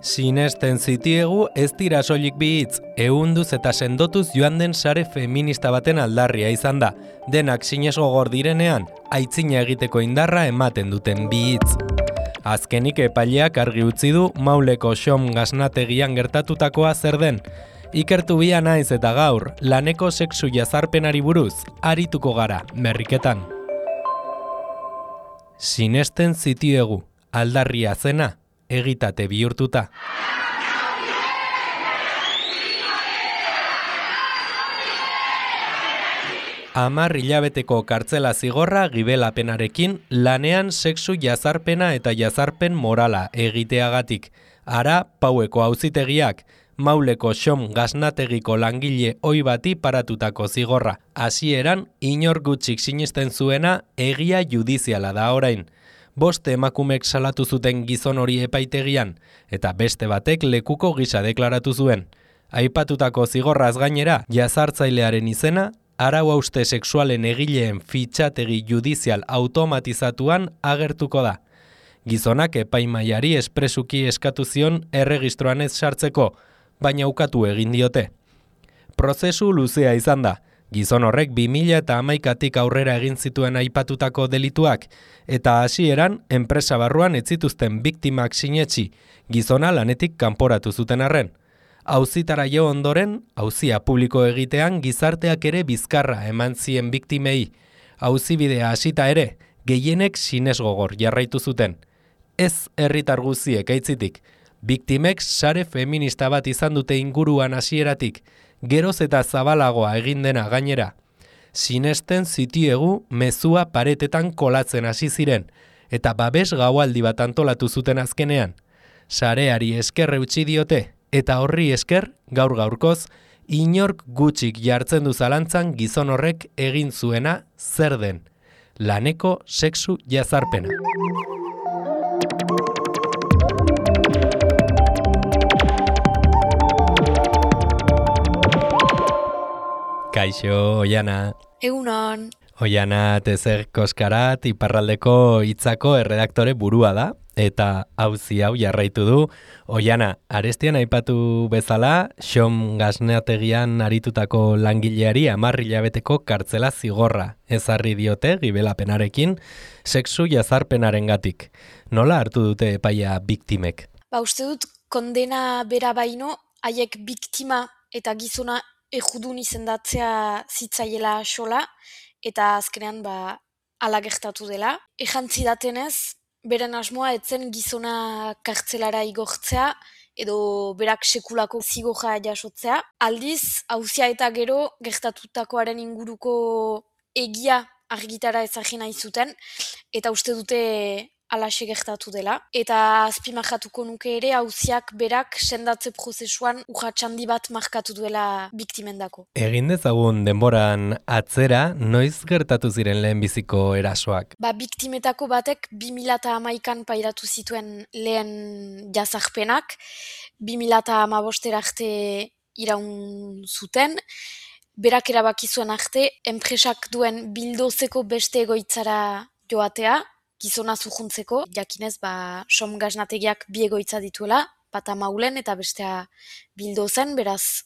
Sinesten zitiegu ez dira soilik bi hitz, ehunduz eta sendotuz joan den sare feminista baten aldarria izan da. Denak sinesgogor direnean, aitzina egiteko indarra ematen duten bi hitz. Azkenik epaileak argi utzi du Mauleko Xom gasnategian gertatutakoa zer den. Ikertu bia naiz eta gaur, laneko sexu jazarpenari buruz, arituko gara, merriketan. Sinesten zitiegu, aldarria zena, egitate bihurtuta. Hamar hilabeteko kartzela zigorra gibelapenarekin lanean sexu jazarpena eta jazarpen morala egiteagatik. Ara, Paueko auzitegiak, Mauleko Xom gasnategiko langile ohi bati paratutako zigorra. Hasieran, inor gutxik sinesten zuena egia judiziala da orain. 5 emakumek salatu zuten gizon hori epaitegian, eta beste batek lekuko gisa deklaratu zuen. Aipatutako zigorraz gainera, jazartzailearen izena, arau hauste sexualen egileen fitxategi judizial automatizatuan agertuko da. Gizonak epaimaiari espresuki eskatu zion erregistroan ez sartzeko, baina ukatu egin diote. Prozesu luzea izan da. Gizon horrek 2011tik aurrera egin zituen aipatutako delituak, eta hasieran enpresa barruan ez zituzten biktimak sinetsi, gizona lanetik kanporatu zuten arren. Auzitara jo ondoren, auzia publiko egitean gizarteak ere bizkarra eman zien biktimei. Auzibidea hasita ere, gehienek sinesgogor jarraitu zuten. Ez herritar guztiek aitzitik. Biktimek sare feminista bat izan dute inguruan hasieratik, geroz eta zabalagoa egin dena gainera. Sinesten zitiegu mezua paretetan kolatzen hasi ziren, eta babes gaualdi bat antolatu zuten azkenean. Sareari esker eutsi diote, eta horri esker, gaur-gaurkoz, inork gutxik jartzen du zalantzan gizon horrek egin zuena zer den. Laneko sexu jazarpena. Kaixo, Oiana. Egunon. Oiana Tezer Koskarat, Iparraldeko Hitzako erredaktore burua da, eta auzi hau jarraitu du. Oiana, arestian aipatu bezala, Xom gasnategian aritutako langileari 10 hilabeteko kartzela zigorra ezarri diote gibelapenarekin, sexu jazarpenarengatik. Nola hartu dute epaia biktimek? Uste dut kondena bera baino, haiek biktima eta gizona ejudun izendatzea zitzaiela xola, eta azkenean ala gertatu dela. Ejantzi datenez, beren asmoa etzen gizona kartzelara igortzea, edo berak sekulako zigorra jasotzea. Aldiz, auzia eta gero gertatutakoaren inguruko egia argitara ezagin nahi zuten, eta uste dute alaxe gertatu dela. Eta azpimarratuko nuke ere, auziak berak sendatze prozesuan urratxandi bat markatu duela biktimendako. Egin dezagun denboran atzera, noiz gertatu ziren lehenbiziko erasoak? Biktimetako batek 2011an pairatu zituen lehen jazarpenak, 2015 arte iraun zuten, berak erabaki zuen arte, enpresak duen bildozeko beste egoitzara joatea, gizona zujuntzeko, jakinez, Xom gasnategiak 2 egoitza dituela, bata Maulen eta bestea Bildozen, beraz,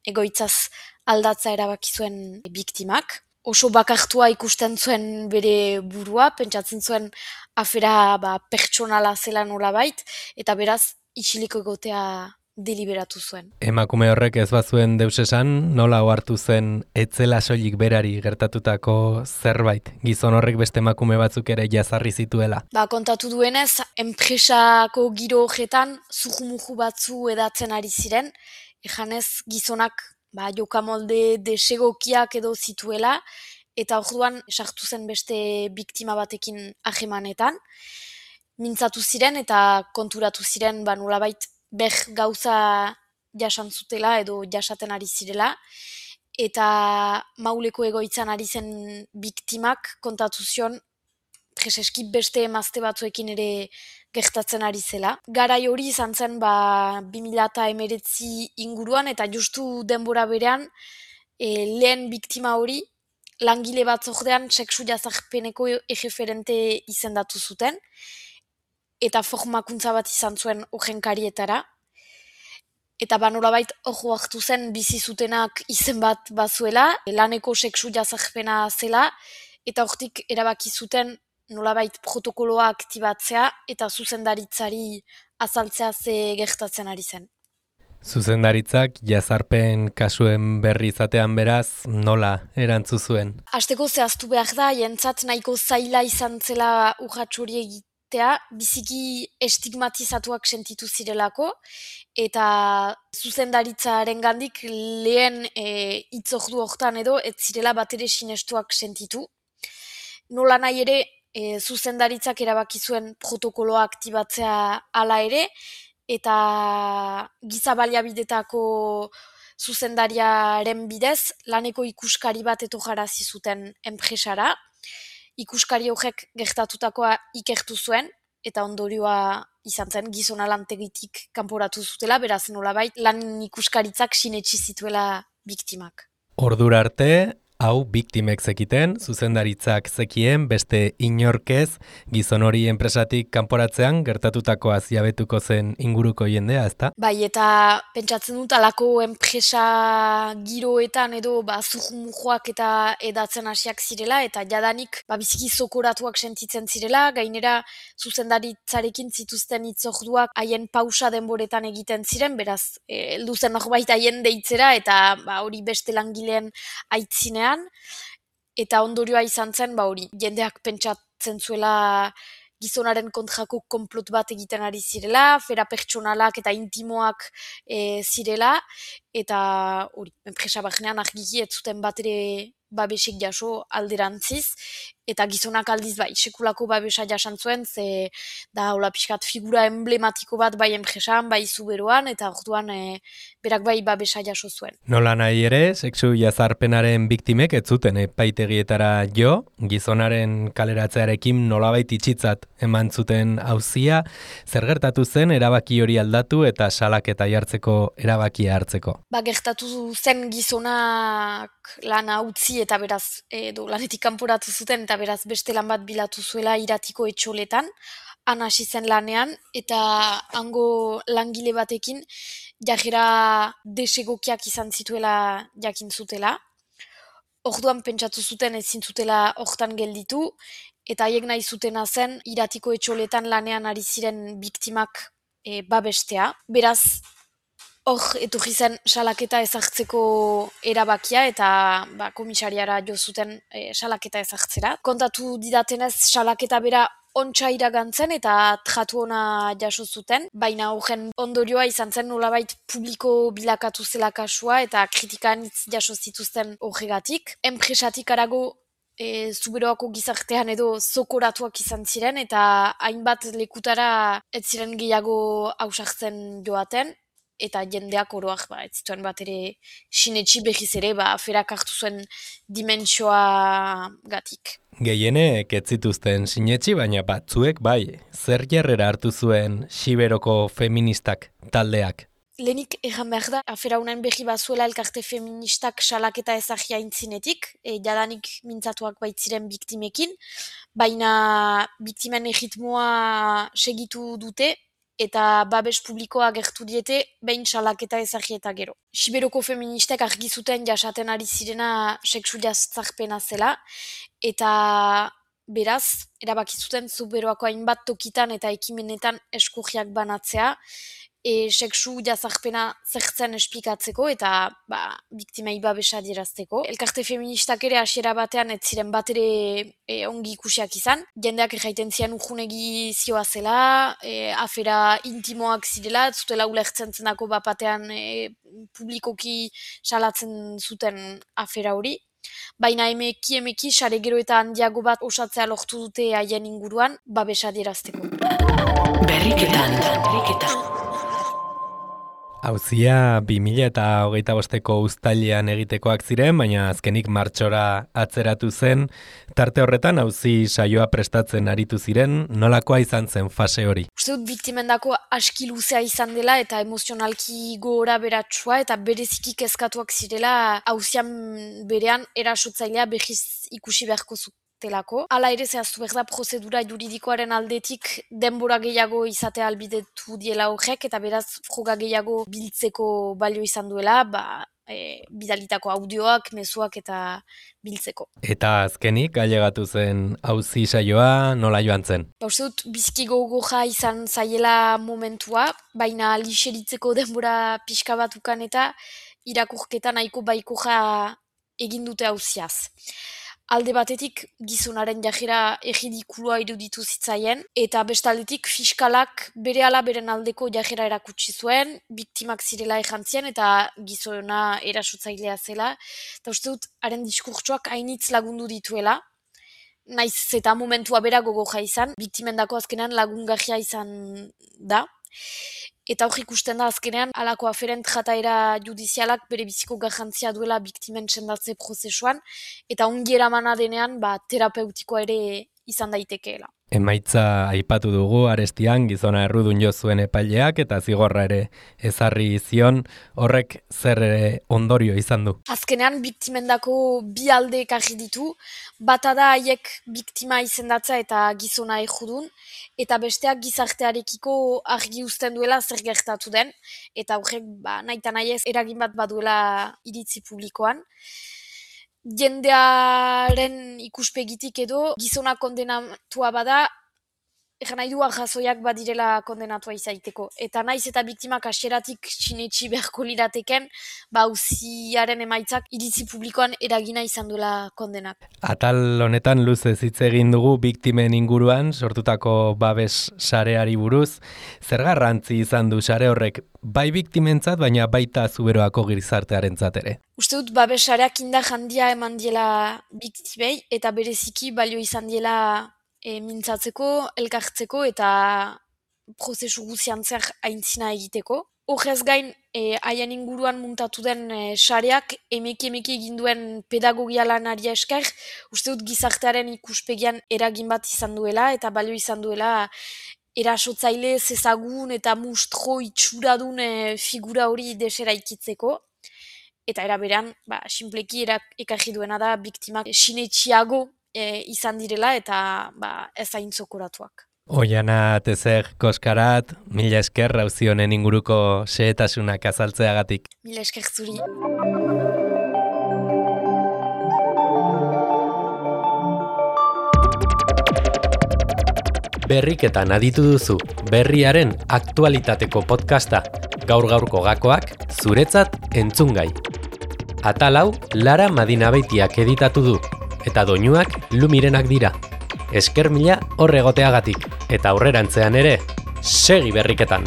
egoitzaz aldatza erabaki zuen biktimak. Oso bakartua ikusten zuen bere burua, pentsatzen zuen afera pertsonala zela nolabait, eta beraz, isiliko egotea deliberatu zuen. Emakume horrek ez bazuen deus esan, nola ohartu zen etzela soilik berari gertatutako zerbait? Gizon horrek beste emakume batzuk ere jazarri zituela. Kontatu duenez, enpresako giro horretan zuhumuhu batzu edatzen ari ziren, ejanez gizonak jokamolde desegokiak edo zituela, eta orduan sartu zen beste biktima batekin ahemanetan. Mintzatu ziren eta konturatu ziren nolabait gauza jasan zutela edo jasaten ari zirela, eta Mauleko egoitzan ari zen biktimak kontatu zion preseski beste emazte batzuekin ere gertatzen ari zela. Garai hori izan zen 2019 inguruan, eta justu denbora berean lehen biktima hori langile batzordean sexu jazarpeneko erreferente izendatu zuten, eta formakuntza bat izan zuen horren karietara, eta nolabait hor hartu zen bizi zutenak izen bat bazuela, laneko sexu jazarpena zela, eta hortik erabaki zuten nolabait protokoloa aktibatzea eta zuzendaritzari azaltzea ze gertatzen ari zen. Zuzendaritzak jazarpen kasuen berri izatean beraz nola erantzu zuen? Hasteko zehaztu behar da, jentzat nahiko zaila izan zela urrats hori egitea, biziki estigmatizatuak sentitu zirelako, eta zuzendaritzaren gandik lehen hitzordu hortan edo ez zirela batere sinestuak sentitu. Nola nahi ere, zuzendaritzak erabaki zuen protokoloa aktibatzea hala ere, eta giza baliabidetako zuzendariaren bidez, laneko ikuskari bat etorrarazi zuten enpresara. Ikuskari horrek gertatutakoa ikertu zuen, eta ondorioa izan zen gizona lantegitik kanporatu zutela, beraz nolabait lan ikuskaritzak sinetsi zituela biktimak. Ordura arte, hau biktimek zekiten, zuzendaritzak zekien, beste inorkez, gizon hori enpresatik kanporatzean gertatutakoa ziabetuko zen inguruko jendea, ezta? Bai, eta pentsatzen dut alako enpresa giroetan edo zurrumujoak eta edatzen hasiak zirela, eta jadanik biziki zokoratuak sentitzen zirela, gainera zuzendaritzarekin zituzten hitzorduak haien pausa denboretan egiten ziren, beraz, heldu zen norbait haien deitzera, eta hori beste langileen aitzinean, eta ondorioa izan zen, hori, jendeak pentsatzen zuela gizonaren kontrako konplot bat egiten ari zirela, fera pertsonalak eta intimoak zirela, eta hori, enpresa barnean argiki ez zuten bat ere babesik jaso alderantziz, eta gizonak aldiz sekulako babesa jasan zuen, ze da hola pixkat figura emblematiko bat bai enpresan, bai zuberoan, eta orduan berak bai babesa jaso zuen. Nola nahi ere, sexu jazarpenaren biktimek ez zuten epaitegietara jo, gizonaren kaleratzearekin nolabait itxitzat eman zuten auzia, zer gertatu zen erabaki hori aldatu eta salaketa jartzeko erabakia hartzeko? Gertatu zen gizonak lana utzi eta beraz lanetik kanporatu zuten eta beraz beste lan bat bilatu zuela iratiko etxoletan, han hasi zen lanean, eta hango langile batekin jarrera desegokiak izan zituela jakin zutela. Orduan pentsatu zuten ezin zutela hortan gelditu, eta haiek nahi zutena zen iratiko etxoletan lanean ari ziren biktimak babestea. Beraz, hor etorri zen salaketa ezartzeko erabakia eta komisariara jo zuten salaketa ezartzera. Kontatu didatenez salaketa bera ontsa iragantzen eta tratu ona jaso zuten, baina horren ondorioa izan zen nolabait publiko bilakatu zela kasua eta kritikan hitz jaso zituzten horregatik. Enpresatik arago zuberoako gizartean edo zokoratuak izan ziren eta hainbat lekutara ez ziren gehiago ausartzen joaten, eta jendeak oroak ez zituen bat ere sinetsi behiz ere aferak hartu zuen dimentsioa gatik. Gehienek ez zituzten sinetsi, baina batzuek bai. Zer jarrera hartu zuen Siberoko feministak taldeak? Lehenik erran behar da, afera unain behi bazuela elkarte feministak salaketa ezagia intzinetik, jadanik mintzatuak baitziren biktimekin, baina biktimen erritmoa segitu dute, eta babes publikoa gertu diete behin salaketa ezagia eta gero. Siberoko feministek argi zuten jasaten ari zirena sexu jazarpena zela, eta beraz, erabaki zuten zuberoako hainbat tokitan eta ekimenetan eskurriak banatzea, sexu jazarpena zertzen esplikatzeko eta biktimei babesa adierazteko. Elkarte feministak ere hasiera batean ez ziren bat ere ongi ikusiak izan. Jendeak erraiten zian urjunegi zioa zela, afera intimoak zirela, zutela ulertzen zenako batean publikoki salatzen zuten afera hori. Baina emeki sare gero eta handiago bat osatzea lortu dute haien inguruan babesa adierazteko. Berriketan. Auzia 2025ko uztailean egitekoak ziren, baina azkenik martxora atzeratu zen. Tarte horretan auzi saioa prestatzen aritu ziren, nolakoa izan zen fase hori? Uste dut biktimendako aski luzea izan dela eta emozionalki gora beratsua eta bereziki kezkatuak zirela auzian berean erasotzailea behiz ikusi beharko telako. Hala ere zehaztu behar da prozedura juridikoaren aldetik denbora gehiago izatea albidetu diela horrek, eta beraz froga gehiago biltzeko balio izan duela, bidalitako audioak, mezuak eta biltzeko. Eta azkenik, ailegatu zen auzi saioa nola joan zen? Uste dut, bizki gogoja izan zaiela momentua, baina lixeritzeko denbora pixka batukan eta irakurketa nahiko baikoja egin dute auziaz. Alde batetik gizonaren jajera erridikulua iruditu zitzaien, eta bestaldetik fiskalak berehala beren aldeko jajera erakutsi zuen, biktimak zirela ejantzien eta gizona erasotzailea zela, eta uste dut, haren diskurtsoak hainitz lagundu dituela, naiz eta momentua bera gogoja izan, biktimendako azkenean lagungarria izan da, eta hor ikusten da azkenean halako aferent jataera judizialak bere biziko garrantzia duela biktimen sendatze prozesuan, eta ongi eramana denean terapeutikoa ere izan daitekeela. Emaitza aipatu dugu arestian gizona errudun jo zuen epaileak eta zigorra ere ezarri zion, horrek zer ondorio izan du? Azkenean biktimendako bi alde ekarri ditu, bata da haiek biktima izendatza eta gizona errudun, eta besteak gizartearekiko argi uzten duela zer gertatu den, eta horrek nahita nahi ez eragin bat baduela iritzi publikoan. Jendearen ikuspegitik edo gizona kondenatua bada, nahi du arrazoiak badirela kondenatua izaiteko. Eta naiz eta biktimak hasieratik sinetsi beharko lirateken, auziaren emaitzak iritzi publikoan eragina izan duela kondenak. Atal honetan luzez hitz egin dugu biktimen inguruan sortutako babes sareari buruz. Zer garrantzi izan du sare horrek bai biktimentzat, baina baita Zuberoako gizartearentzat ere? Uste dut babes sareak indar handia eman diela biktimei eta bereziki balio izan diela mintzatzeko, elkartzeko eta prozesu guzian zer aintzina egiteko. Horrez gain, haien inguruan muntatu den sareak emeki egin duen pedagogia lanari esker, uste dut gizartearen ikuspegian eragin bat izan duela eta balio izan duela erasotzaile zezagun eta mustro itxuradun figura hori desera ikitzeko. Eta eraberean, sinpleki ekarri duena da biktimak sinetxiago izan direla eta ez hain zokoratuak. Oiana Tezer Koskarat, mila esker auzi honen inguruko xehetasunak azaltzeagatik. Mila esker zuri. Berriketan aditu duzu, berriaren aktualitateko podcasta, gaur-gaurko gakoak zuretzat entzungai. Atal hau Lara Madinabeitiak editatu du, eta doinuak Lumirenak dira. Esker mila hor egoteagatik, eta aurrerantzean ere, segi berriketan!